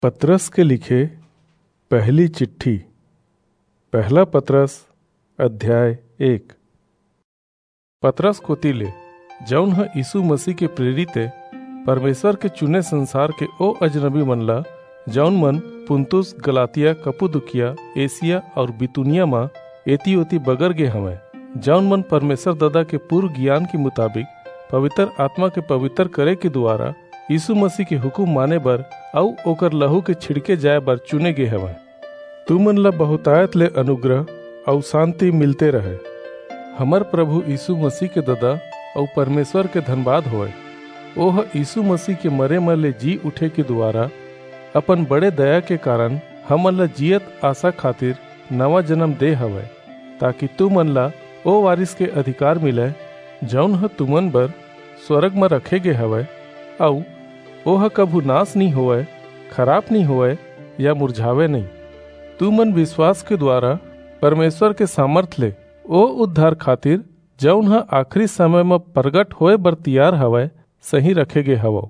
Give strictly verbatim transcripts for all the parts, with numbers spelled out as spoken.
पतरस के लिखे पहली चिट्ठी। पहला पतरस, अध्याय एक। पतरस कोति ले, जऊन ह यीसू मसीह के प्रेरित ए, परमेसर के चुने संसार के ओ अजनबी मन ला, जऊन मन पुन्तुस, गलातिया, कप्पदोकिया, एसिया अऊ बितूनिया म एती-ओती बगर गे हवंय, जऊन मन परमेसर ददा के पूर्व गियान के मुताबिक पबितर आतमा के पबितर करे के दुवारा यीसू मसीह के हुकूम माने बर अऊ ओकर लहू के छिड़के जाय बर चुने गे हवंय। तुमन ला बहुतायत ले अनुग्रह अऊ सांति मिलते रहय। हमर परभू यीसू मसीह के ददा अऊ परमेसर के धनबाद होवय। ओह यीसू मसीह के मरे म ले जी उठे के दुवारा अपन बड़े दया के कारन हमन ला जीयत आसा खातिर नवां जनम दे हवय, ताकि तुमन ला ओ वारिस के अधिकार मिलय, जऊन ह तुमन बर स्वरग म रखे गे हवय, अऊ ओह कभू नास नइं होवय, खराप नइं होवय या मुरझावय नइं। तुमन बिसवास के दुवारा परमेसर के सामरथ ले ओ उद्धार खातिर, जऊन ह आखिरी समय म परगट होय बर तियार हवय, सहीं रखे गे हवव।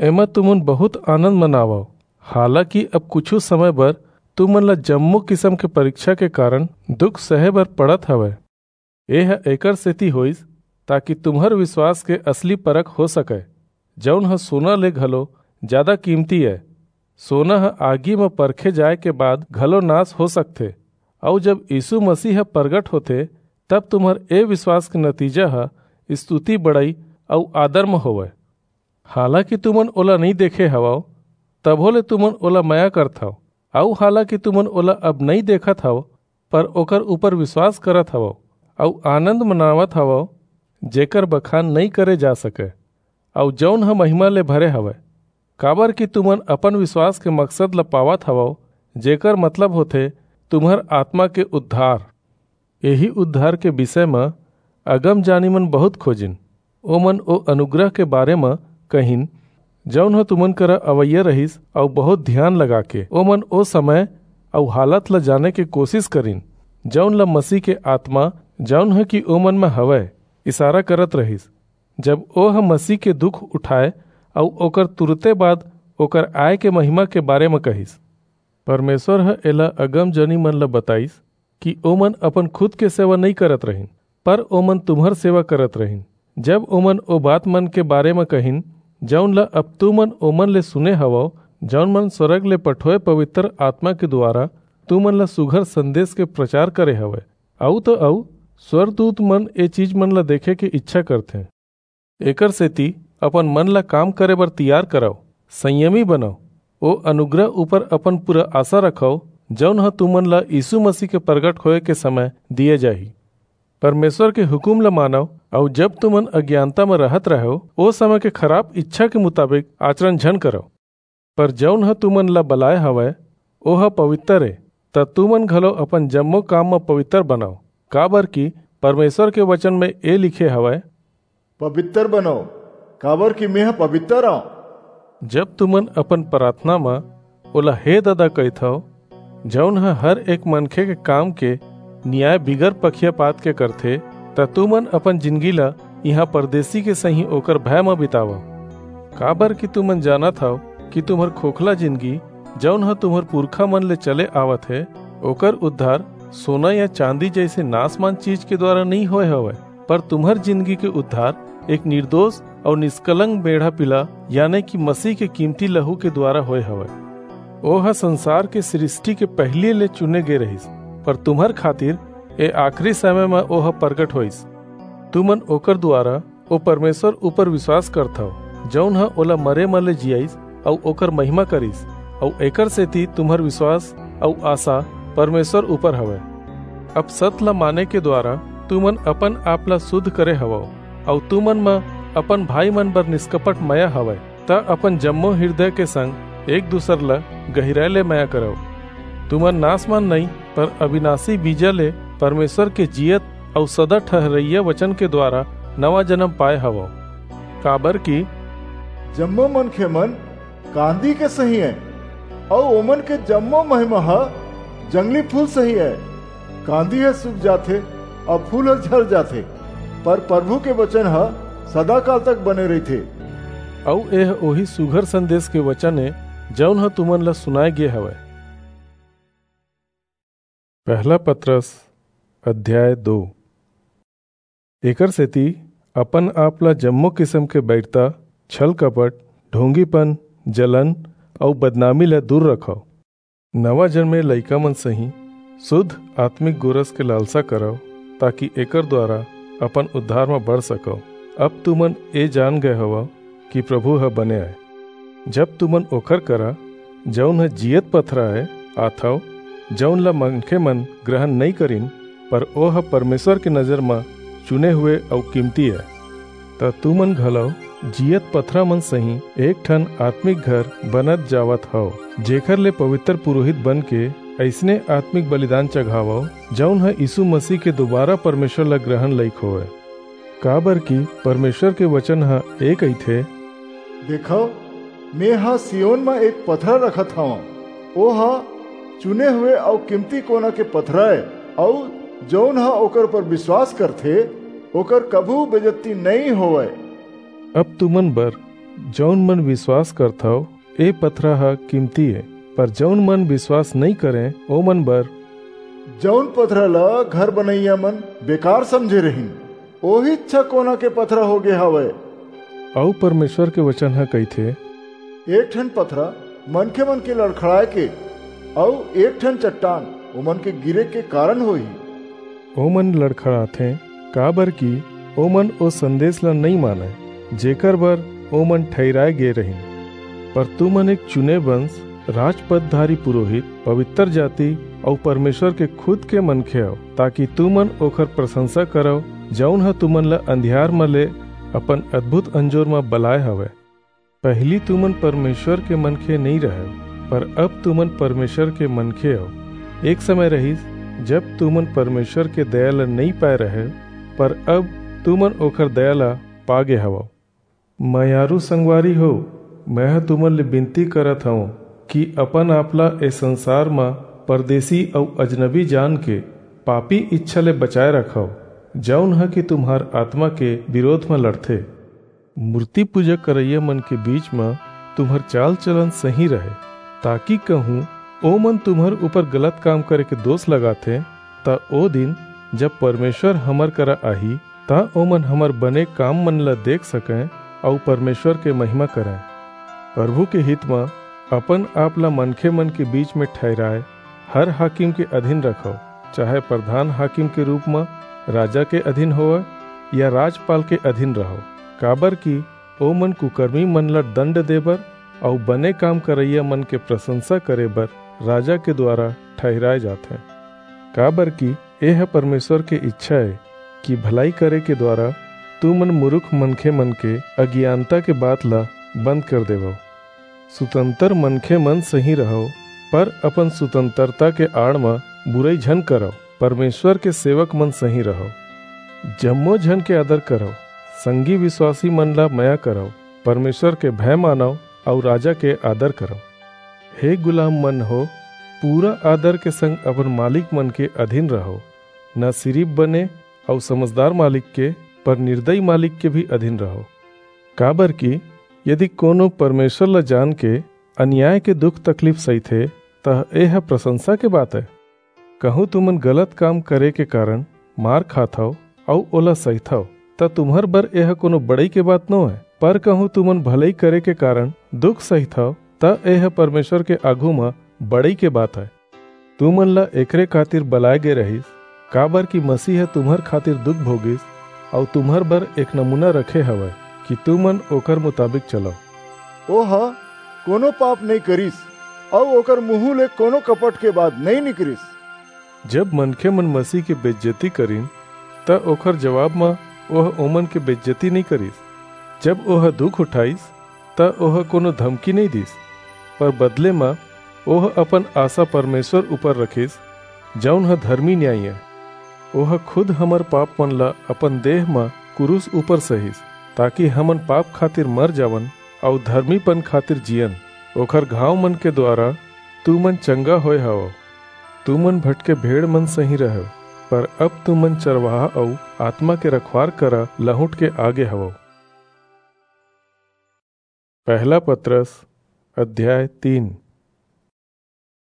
एमा तुमन बहुंत आनंद मनावव, हालाकि अब कुछू समय बर तुमन ला जम्मो किसम के परिक्छा के कारन दुख सहे बर पड़त हवय। एह एकर सेति होईस, ताकि तुम्हर बिसवास के असली परख हो सकय, जऊन ह सोना ले घलो जादा कीमती अय। सोना ह आगी म परखे जाय के बाद घलो नास हो सकथे, अऊ जब यीसू मसीह ह परगट होथे, तब तुम्हर ए बिसवास के नतीजा ह स्तुति, बड़ई अऊ आदर म होवय। हालाकि तुमन ओला नइं देखे हवव, तभो ले तुमन ओला मया करथव, अऊ हालाकि तुमन ओला अब नइं देखत हव, पर ओकर ऊपर बिसवास करत हवव, अऊ आनंद मनावत हवव, जेकर बखान नइं करे जा सकय, अऊ जऊन ह महिमा ले भरे हवय, काबरकि तुमन अपन बिसवास के मकसद ला पावत हवव, जेकर मतलब होथे तुम्हर आतमा के उद्धार। एही उद्धार के बिसय म अगमजानी मन बहुंत खोजिन। ओमन ओ अनुग्रह के बारे म कहिन, जऊन ह तुमन करा अवइया रिहिस, अऊ बहुंत धियान लगाके ओमन ओ समय अऊ हालत ल जाने के कोसिस करिन, जऊन ल मसीह के आतमा, जऊन ह कि ओमन म हवय, इसारा करत रिहिस, जब ओह मसीह के दुख उठाय अऊ ओकर तुरते बाद ओकर आय के महिमा के बारे म कहिस। परमेसर ह एला अगमजनी मन ल बताईस कि ओमन अपन खुद के सेवा नइं करत रहिन, पर ओमन तुम्हर सेवा करत रहिन। जब ओमन ओ बात मन के बारे म कहिन, जऊन ल अब तुमन ओमन ले सुने हवव, जऊन मन स्वरग ले पठोय पबितर आतमा के दुवारा तुमन ल सुघर संदेस के परचार करे हवय, अऊ त अऊ स्वरदूत मन ए चीज मन ल देखे के ईछा करथें। एकरसेति अपन मन ल काम करे बर तियार करव, संयमी बनव, ओ अनुग्रह ऊपर अपन पूरा आसा रखव, जऊन ह तुमन ल यीसू मसीह के परगट होय के समय दिये जाही। परमेसर के हुकूम ल मानव, अऊ जब तुमन अगियानता म रहत रहेव, ओ समय के खराप ईछा के मुताबिक आचरन झन करव। पर जऊन ह तुमन ल बलाय हवय, ओह पबितर ए, त तुमन घलो अपन जम्मो काम म पबितर बनव, काबरकि परमेसर के बचन म ए लिखे हवय, "पबितर बनव, काबरकि मेंह पबितर अंव।" जब तुमन अपन पराथना म ओला हे ददा कहिथव, जऊन ह हर एक मनखे के काम के नियाय बिगर पखियापात के करथे, त तुमन अपन जिनगी ल इहां परदेसी के सहीं ओकर भय म बितावव। काबरकि तुमन जानत हव कि तुम्हर खोखला जिनगी, जऊन ह तुम्हर पुरखा मन ले चले आवत हे, ओकर उद्धार सोना या चांदी जइसे नासमान चीज के दुवारा नइं होय हवय, पर तुम्हर जिनगी के उद्धार एक निरदोस अऊ निसकलंक मेढ़ा-पिला, याने कि मसीह के कीमती लहू के दुवारा होय हवय। ओह संसार के सृस्टि के पहिली ले चुने गे रिहिस, पर तुम्हर खातिर ए आखिरी समय म ओह परगट होईस। तुमन ओकर दुवारा ओ परमेसर ऊपर बिसवास करथव, जऊन ह ओला मरे म ले जियाईस अऊ ओकर महिमा करिस, अऊ एकरसेति तुम्हर बिसवास अऊ आसा परमेसर ऊपर हवय। अब सत ल माने के दुवारा तुमन अपन आप ल सुध करे हवव, अऊ तुमन म अपन भाई मन बर निसकपट मया हवय, त अपन जम्मो हिरदय के संग एक दूसर ल गहिराय ले मया करव। तुमन नासमान नइं, पर अबिनासी बीजा ले परमेसर के जीयत अऊ सदा ठहरइया बचन के दुवारा नवां जनम पाय हवव। काबरकि जम्मो मनखे मन कांदी के सहीं अंय, अऊ ओमन के जम्मो महिमा ह जंगली फूल सहीं अंय। कांदी ह सुख जाथे अऊ फूल ह झर जाथे, पर परभू के बचन ह सदाकाल तक बने रहिथे। अऊ एह ओही सुघर संदेस के बचन ए, जऊन ह तुमन ला सुनाय गे हवय। पहला पतरस अध्याय दो। एकर सेती अपन आप ला जम्मो किसम के बैरता, छल कपट, ढोंगीपन, जलन अऊ बदनामी ला दूर रखव। नवा जन्मे लइका मन सहीं शुद्ध आत्मिक गोरस के लालसा करव, ताकि एकर द्वारा अपन उद्धार म बढ़ सकव। अब तुमन ए जान गए हवव कि प्रभु ह बने आय। जब तुमन ओखर करा, जऊन ह जीयत पथरा अय, आथव, जऊन ल मनखे मन ग्रहण नइं करिन, पर ओह परमेसर के नजर म चुने हुए अऊ कीमती अय, त तुमन घलव जीयत पथरा मन सहीं एक ठन आत्मिक घर बनत जावत हव, जेखर ले पवित्र पुरोहित बनके अइसने आत्मिक बलिदान चघावव, जऊन ह यीसू मसीह के दोबारा परमेसर ल ग्रहण लइक होवय। काबरकि परमेसर के बचन ह ए कहिथे, देखव, मेंह सियोन म एक पथरा रखत हवंव, ओह चुने हुए अऊ कीमती कोना के पथरा ए, अऊ जऊन ह ओकर ऊपर बिसवास करथे, ओकर कभू बेजत्ती नइं होवय। अब तुमन बर, जऊन मन बिसवास करथव, ए पथरा ह कीमती ए, पर जऊन मन बिसवास नइं करंय, ओमन बर जऊन पथरा ल घर बनइया मन बेकार समझे रहिन, ओहीच ह कोना के पथरा होगे हवय। अऊ परमेसर के बचन ह कहिथे, एक ठन पथरा मनखे मन के लड़खड़ाय के, अऊ एक ठन चट्टान ओमन के गिरे के कारन होही। ओमन लड़खड़ाथें, काबरकि ओमन ओ संदेस ला नइं मानंय, जेकर बर ओमन ठहिराय गे रहिन। पर तुमन एक चुने बंस, राजपदधारी पुरोहित, पवित्र जाति अऊ परमेसर के खुद के मनखे हव, ताकि तुमन ओखर परसंसा करव, जऊन ह तुमन ला अंधियार म ले अपन अद्भुत अंजोर म बलाय हवय। पहिली तुमन परमेसर के मनखे नइं रहेव, पर अब तुमन परमेसर के मनखे हव। एक समय रहिस, जब तुमन परमेसर के दया ल नइं पाय रहेव, पर अब तुमन ओखर दया ल पागे हवव। मयारू संगवारी हो, मेंह तुमन ले बिनती करत हवंव कि अपन आप ला ए संसार म परदेसी अऊ अजनबी जान के पापी इच्छा ले बचाय रखव, जऊन ह कि तुम्हर आतमा के बिरोध म लड़थे। मूरती पूजा करइया मन के बीच म तुम्हर चाल-चलन सही रहय, ताकि कहूं ओमन तुम्हर ऊपर गलत काम करे के दोस लगाथें, त ओ दिन, जब परमेसर हमर करा आही, त ओमन हमर बने काम मन ल देख सकंय अऊ परमेसर के महिमा करंय। परभू के हित म अपन आप ल मनखे मन के बीच म ठहिराय हर हाकिम के अधीन रखव, चाहे परधान हाकिम के रूप म राजा के अधीन होवय या राजपाल के अधीन रहव, काबरकि ओमन कुकरमी मन ल दंड देबर अऊ बने काम करइया मन के परसंसा करे बर राजा के दुवारा ठहिराय जाथें। काबरकि एह परमेसर के इच्छा ए कि भलई करे के दुवारा तुमन मुरुख मनखे मन के अगियानता के बात ल बंद कर देवव। सुतंतर मनखे मन सहीं रहव, पर अपन सुतंतरता के आड़ म बुरई झन करव। परमेसर के सेवक मन सहीं रहव। जम्मो झन के आदर करव, संगी बिसवासी मन ला मया करव, परमेसर के भय मानव अऊ राजा के आदर करव। हे गुलाम मन हो, पूरा आदर के संग अपन मालिक मन के अधीन रहव, न सिरिप बने अऊ समझदार मालिक के, पर निरदई मालिक के भी अधीन रहव। काबरकि यदि कोनो परमेसर ला जान के अन्याय के दुख-तकलीफ सहिथे, त एह परसंसा के बात ए। कहूं तुमन गलत काम करे के कारन मार खाथव अऊ ओला सहिथव, त तुम्हर बर एह कोनो बड़ई के बात नोहय, पर कहूं तुमन भलई करे के कारन दुख सहिथव, त एह परमेसर के आघू म बड़ई के बात ए। तुमन ला एकरे खातिर बलाय गे रहिस, काबरकि मसीह ह तुम्हर खातिर दुख भोगिस अऊ तुम्हर बर एक नमूना रखे हवय कि तुमन ओकर मुताबिक चलव। ओह कोनो पाप नइं करिस अऊ ओकर मुहूं ले कोनो कपट के बात नइं निकरिस। जब मनखे मन मसीह के बेइज्जती करिन, त ओकर जवाब म ओह ओमन के बेइज्जती नइं करिस। जब ओह दुख उठाईस, त ओह कोनो धमकी नइं दीस, पर बदले म ओह अपन आसा परमेसर ऊपर रखिस, जऊन ह धरमी न्यायी ए। ओह खुद हमर पाप मन ला अपन देह म कुरूस ऊपर सहिस, ताकि हमन पाप खातिर मर जावन अऊ धरमीपन खातिर जीयन। ओकर घाव मन के दुवारा तुमन चंगा होय हवव। तुमन भटके भेड़ मन सहीं रहव, पर अब तुमन चरवाहा अऊ आतमा के रखवार करा लहुंट के आगे हवव। पहला पतरस अध्याय तीन।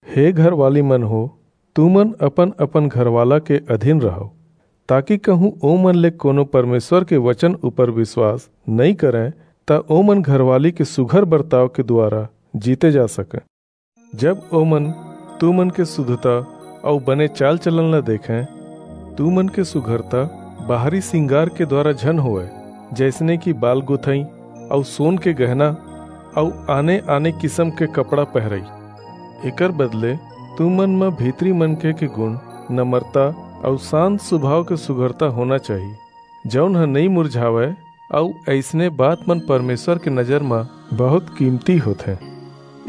हे घरवाली मन हो, तुमन अपन-अपन घरवाला के अधीन रहव, ताकि कहूँ ओमन ले कोनो परमेश्वर के वचन ऊपर विश्वास नइं करंय, त ओमन घरवाली के सुघर बर्ताव के दुवारा जीते जा सकंय। जब ओमन तुमन के सुधता अऊ बने चाल-चलन ला देखंय, तुमन के सुघरता बाहरी सिंगार के दुवारा झन होवय, जइसने कि बाल गुथई अऊ सोन के गहना अऊ आने-आने किसम के कपड़ा पहिरई। एकर बदले तुमन म भीतरी मनखे के गुण, नम्रता अऊ शांत सुभाव के सुघरता होना चाही, जऊन ह नइं मुरझावय, अऊ अइसने बात मन परमेश्वर के नजर म बहुत कीमती होथे।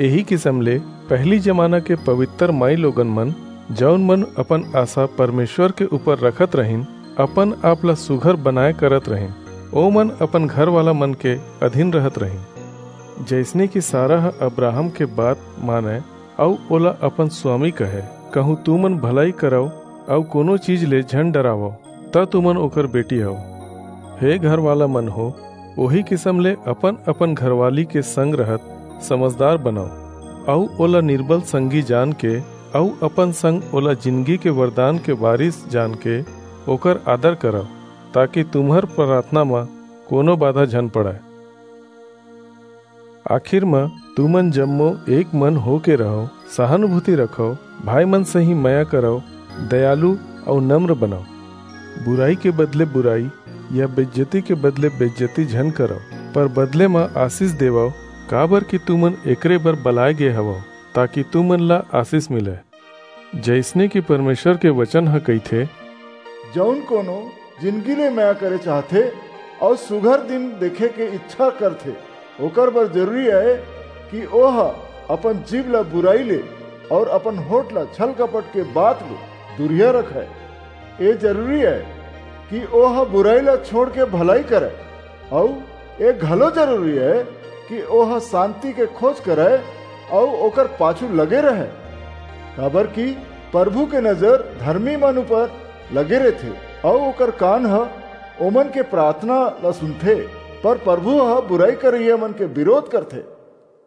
एही किसम ले पहिली जमाना के पवित्र माईलोगन मन, जऊन मन अपन आसा परमेश्वर के ऊपर रखत रहिन, अपन आप ला सुघर बनाए करत रहिन, ओमन अपन घरवाला मन के अधीन रहत रहिन। जइसने कि सारा ह अब्राहम के बात मानय, अऊ ओला अपन स्वामी कहय, कहूँ तुमन भलई करव अऊ कोनो चीज ले झन डरावव, त तुमन ओकर बेटी हव। हे घरवाला मन हो, ओही किसम ले अपन-अपन घरवाली के संग रहत समझदार बनव, अऊ ओला निर्बल संगी जान के, अऊ अपन संग ओला जिनगी के वरदान के वारिस जान के ओकर आदर करव, ताकि तुम्हर प्रार्थना म कोनो बाधा झन पड़य। आखिर म तुमन जम्मो एक मन होके रहव, सहानुभूति रखव, भाई मन सही मया करव, दयालु अऊ नम्र बनव। बुराई के बदले बुराई या बेइज्जती के बदले बेइज्जती झन करव, पर बदले म आशीष देवव, काबर कि तुमन एकरे बर बलाय गे हवव, ताकि तुमन ला आशीष मिलय। जइसने कि परमेश्वर के वचन ह कहिथे, जऊन कोनो जिनगी ले मया करे चाहथे अऊ सुघर दिन देखे के इच्छा करथे, ओकर बर जरूरी अय कि ओह अपन जीभ ला बुराई ले अऊ अपन होंठ ला छल-कपट के बात ले दूरिहा रखय। ए जरूरी अय कि ओह बुराई ला छोंड़ के भलई करय, अऊ ए घलो जरूरी अय कि ओह सांति के खोज करय अऊ ओकर पाछू लगे रहय, काबरकि परभू के नजर धरमी मन ऊपर लगे रहिथे, अऊ ओकर कान ह ओमन के पराथना ला सुनथे, पर परभू ह बुरई करइया मन के बिरोध करथे।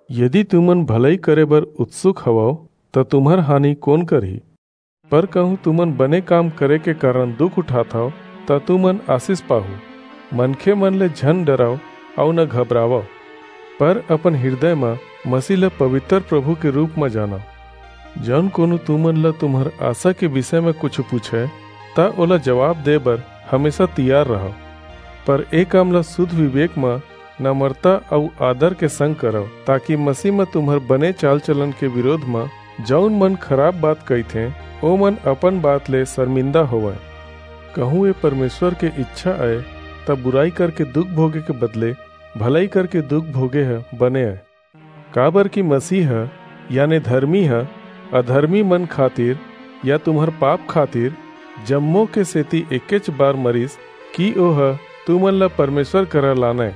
यदि तुमन भलई करे बर उत्सुक हवव, त तुम्हर हानि कोन करही? पर कहूं तुमन बने काम करे के कारन दुख उठाथव, त तुमन आसीस पाहू। मनखे मन ले झन डरव अऊ न घबरावव, पर अपन हिरदय म मसीह ल पबितर परभू के रूप म जानव। जऊन कोनो तुमन ल तुम्हर आसा के बिसय म कुछू पूछय, त ओला जबाब दे बर हमेसा तियार रहव। पर ए काम ल सुध बिबेक म नमरता अऊ आदर के संग करव, ताकि मसीह म तुम्हर बने चाल-चलन के बिरोध म जऊन मन खराप बात कहिथें, ओमन अपन बात ले सरमिंदा होवंय। कहूं ए परमेसर के ईछा अय, त बुरई करके दुख भोगे के बदले भलई करके दुख भोगे ह बने अय। काबरकि मसीह ह, याने धरमी ह, अधरमी मन खातिर या तुम्हर पाप खातिर जम्मो के सेती एकेच बार मरिस, कि ओह तुमन ला परमेसर करा लानय।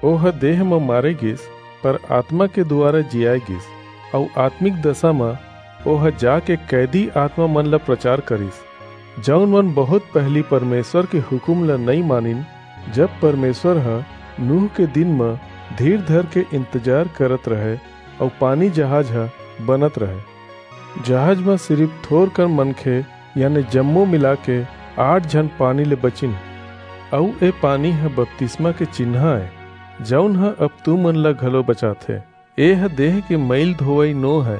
ओह देह म मारे गीस, पर आतमा के दुवारा जियाय गीस, अऊ आतमिक दसा म ओह जाके कैदी आतमा मन ला परचार करिस, जऊन मन बहुंत पहिली परमेसर के हुकूम ला नइं मानिन, जब परमेसर ह नूह के दिन म धीर धरके इंतजार करत रहय अऊ पानी जहाज ह बनत रहय। जहाज म सिरिप थोरकन मनखे, याने जम्मो मिलाके आठ झन पानी ले बचिन, अऊ ए पानी ह बतिसमा के चिन्हा अय, जऊन ह अब तुमन ला घलो बचाथे। एह देह के मईल धोवई नो हय,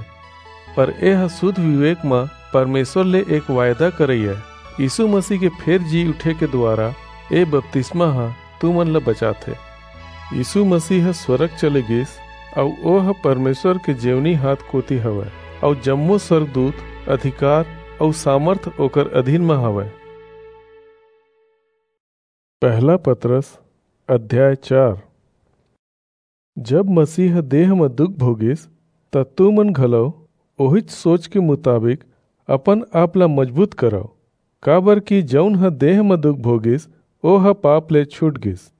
पर एह सुध बिबेक म परमेसर ले एक वायदा करई अय। यीसू मसीह के फेर जी उठे के दुवारा ए बतिसमा ह तुमन ला बचाथे। यीसू मसीह ह स्वरग चले गीस, अऊ ओह परमेसर के जेवनी हांथ कोति हवय, अऊ जम्मो सरगदूत, अधिकार अऊ सामरथ ओकर अधीन म हवय। पहला पतरस, अध्याय चार। जब मसीह ह देह म दुख भोगिस, त तुमन घलो ओहीच सोच के मुताबिक अपन आप ला मजबूत करव, काबरकि जऊन ह देह म दुख भोगिस, ओह पाप ले छूट गीस।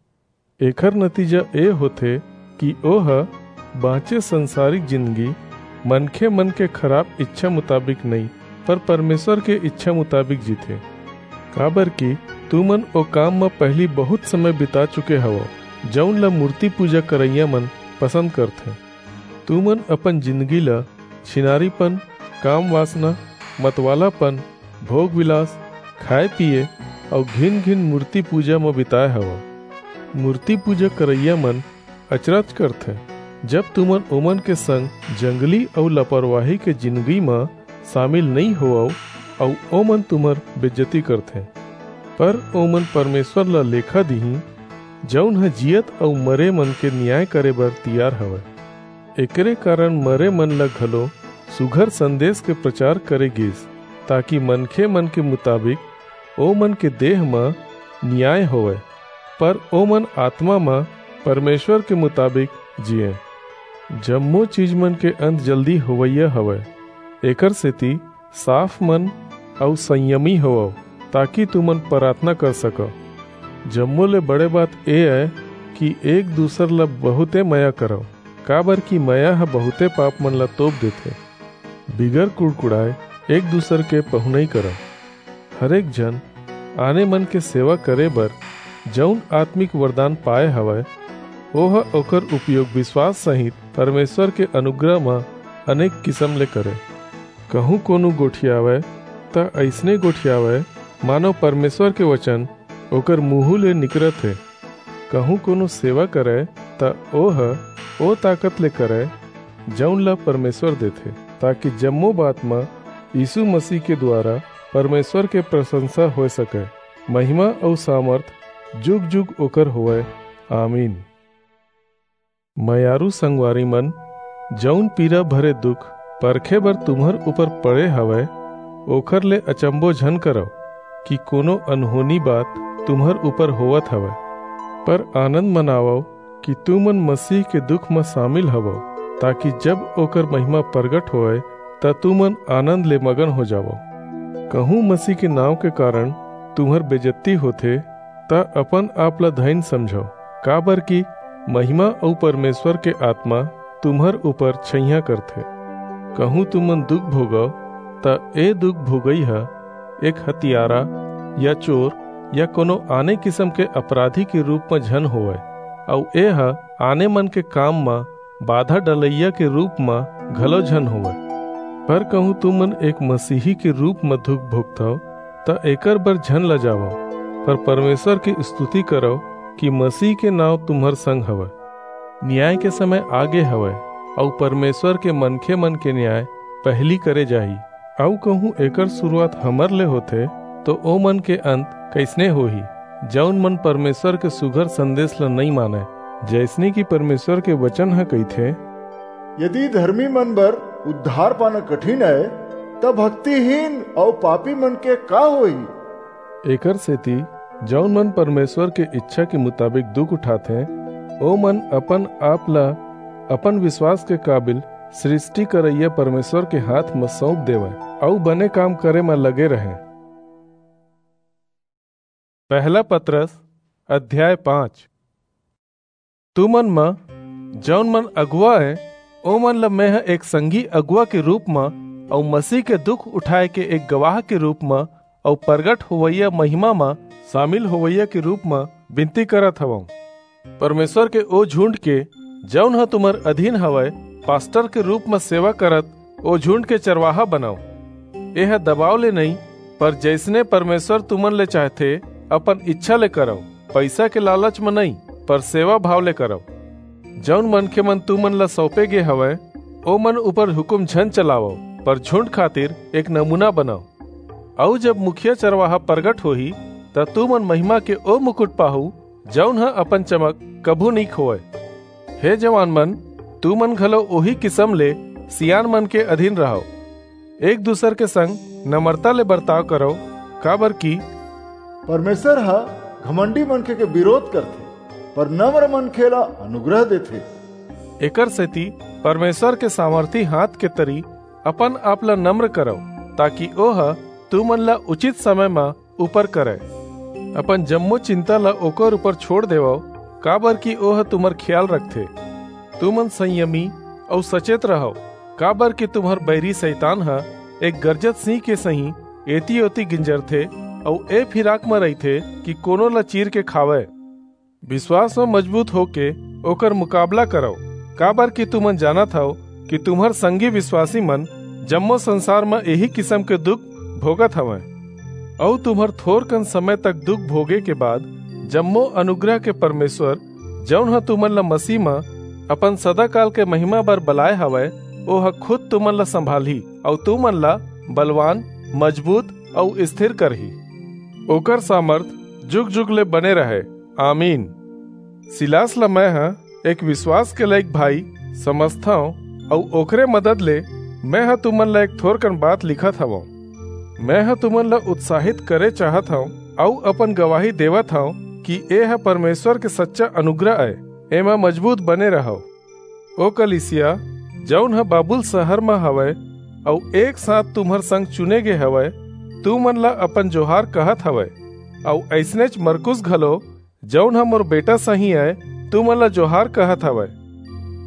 एखर नतीजा ए होथे कि ओह बांचे संसारिक जिनगी मनखे मन के खराप ईछा मुताबिक नइं, पर परमेसर के ईछा मुताबिक जीथे। काबरकि तुमन ओ काम म पहिली बहुंत समय बिता चुके हवव, जऊन ल मूरती पूजा करइया मन पसंद करथें। तुमन अपन जिंदगी ल छिनारीपन, काम वासना, मतवालापन, भोग विलास, खाए पिए अउ घिन घिन मूर्ति पूजा म बिताए हवव। मूर्ति पूजा करइया मन अचरज करथे, जब तुमन ओमन के संग जंगली अउ लापरवाही के जिंदगी म शामिल नइ होवव अउ ओमन तुम्हर बेइज्जती करथे। पर ओमन परमेश्वर ल लेखा दिहीं, जऊन ह जियत अउ मरे मन के नियाय करे बर तियार हवय। एकरे कारन मरे मन ल घलो सुघर संदेस के परचार करे गीस, ताकि मनखे मन के मुताबिक ओमन के देह म नियाय होवय, पर ओमन आतमा म परमेश्वर के मुताबिक जीयें। जम्मो चीज मन के अंत जल्दी होवइया हवय, एकरसेति साफ मन अऊ संयमी होवव, ताकि तुमन पराथना कर सकव। जम्मो ले बड़े बात ए अय कि एक दूसर ल बहुंते मया करव, काबरकि मया ह बहुंते पाप मन ल तोप देथे। बिगर कुड़कुड़ाय एक दूसर के पहुनई करव। हरेक झन आने मन के सेवा करे बर जऊन आत्मिक वरदान पाय हवय, ओह ओकर उपयोग बिसवास सहित परमेश्वर के अनुग्रह म अनेक किसम ले करे। कहूं कोनो गोठियावय, त अइसने गोठियावय, मानो परमेश्वर के वचन ओकर मुहूं ले निकरत हे। कहूं कोनो सेवा करय, त ओह ओ ताकत ले करय, जऊन ल परमेश्वर देथे, ताकि जम्मो बात म यीसू मसीह के दुवारा परमेश्वर के परसंसा होय सकय। महिमा अऊ सामरथ जुग-जुग ओकर होवय। आमीन। मयारू संगवारी मन, जऊन पीरा भरे दुख परखे बर तुम्हर ऊपर पड़े हवय, ओखर ले अचंभो झन करव कि कोनो अनहोनी बात तुम्हर ऊपर होवत हवय, पर आनंद मनावव कि तुमन मसीह के दुख म सामिल हवव, ताकि जब ओकर महिमा परगट होवय, त तुमन आनंद ले मगन हो जावव। कहूं मसीह के नांव के कारन तुम्हर बेजत्ती होथे, त अपन आप ल धइन समझव, काबरकि महिमा अऊ परमेश्वर के आतमा तुम्हर ऊपर छइहां करथे। कहूं तुमन दुख भोगव, त ए दुख भोगई ह एक हतियारा या चोर या कोनो आने किसम के अपराधी के रूप म झन होवय, अऊ ए ह आने मन के काम म बाधा डलइया के रूप म घलो झन होवय। पर कहूं तुमन एक मसीही के रूप म दुख भोगथव, त एकर बर झन लजावव, पर परमेश्वर के स्तुति करव कि मसीह के नांव तुम्हर संग हवय। नियाय के समय आगे हवय, अऊ परमेश्वर के मनखे मन के नियाय पहिली करे जाही। अऊ कहूं एकर सुरुवात हमर ले होथे, तो ओ मन के अंत कइसने होही, जऊन मन परमेश्वर के सुघर संदेश ल नइं मानय? जइसने कि परमेश्वर के वचन ह कहिथे, यदि धरमी मन बर उद्धार पाना कठिन अय, त भक्तिहीन अऊ पापी मन के का होही? एकर सेति, जऊन मन परमेश्वर के इच्छा के मुताबिक दुख उठाथें, ओ मन अपन आप ल अपन विश्वास के काबिल सृष्टि करइया परमेश्वर के हाथ म सऊंप देवंय अऊ बने काम करे म लगे रहंय। पहला पतरस, अध्याय पाँच। तुमन म जऊन मन अगुवा अंय, ओमन ल मेंह एक संगी अगुवा के रूप म अऊ मसीह के दुख उठाय के एक गवाह के रूप म अऊ परगट होवइया महिमा म सामिल होवइया के रूप म बिनती करत हवंव। परमेश्वर के ओ झुंड के, जऊन ह तुम्हर अधीन हवय, पास्टर के रूप म सेवा करत ओ झुंड के चरवाहा बनव। एह दबाव ले नइं, पर जइसने परमेश्वर तुमन ले चाहथे, अपन इच्छा ले करव, पईसा के लालच म नइं, पर सेवा भाव ले करव। जऊन मनखे मन तुमन ल सऊंपे गे हवंय, ओमन ऊपर हुकूम झन चलावव, पर झुंड खातिर एक नमूना बनव। अऊ जब मुखिया चरवाहा परगट होही, त तुमन महिमा के ओ मुकुट पाहू, जऊन ह अपन चमक कभू नइं खोवय। हे जवान मन, तुमन घलो ओही किसम ले सियान मन के अधीन रहव। एक दूसर के संग नम्रता ले बरताव करव, काबरकि परमेश्वर ह घमंडी मनखे के बिरोध करथे, पर नम्र मनखे ला अनुग्रह देथे। एकर सेति परमेश्वर के सामर्थी हांथ के तरी अपन आप ला नम्र करव, ताकि ओह तुमन ला उचित समय म ऊपर करय। अपन जम्मो चिंता ला ओकर ऊपर छोंड़ देवव, काबरकि ओह तुम्हर खियाल रखथे। तुमन संयमी अऊ सचेत रहव, काबरकि तुम्हर बईरी सैतान ह एक गरजत सिंह के सहीं एती-ओती गिंजरथे अऊ ए फिराक म रहिथे कि कोनो ला चीर के खावय। बिसवास म मजबूत होके ओकर मुकाबला करव, काबर कि तुमन जानत हव कि तुम्हर संगी विश्वासी मन जम्मो संसार म एही किसम के दुख भोगत हवंय, अऊ तुम्हर थोरकन समय तक दुख भोगे के बाद जम्मो अनुग्रह के परमेश्वर, जऊन ह तुमन ला मसीह म अपन सदाकाल के महिमा बर बलाय हवय, ओह खुद तुमन ला संभालही अऊ तुमन ला बलवान, मजबूत अऊ स्थिर करही। ओकर सामर्थ जुग-जुग ले बने रहय। आमीन। सिलास ला मैं ह एक विश्वास के लायक भाई समझथंव, अऊ ओकरे मदद ले मैं ह तुमन ला एक थोरकन बात लिखत हवंव। मैं ह तुमन ला उत्साहित करे चाहत हंव अऊ अपन गवाही देवत हंव कि ए ह परमेश्वर के सच्चा अनुग्रह अय। एमा मजबूत बने रहव। ओ कलीसिया, जऊन ह बाबुल सहर म हवय अऊ एक साथ तुम्हर संग चुने गे हवय, तुमन ला अपन जोहार कहत हवय, अऊ अइसनेच मरकुस घलो, जऊन ह मोर बेटा सहीं अय, तुमन ला जोहार कहत हवय।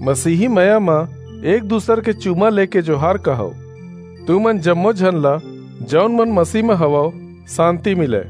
मसीही मया म एक दूसर के चूमा लेके जोहार कहव। तुमन जम्मो झन ला, जऊन मन मसीह म हवव, सांति मिलय।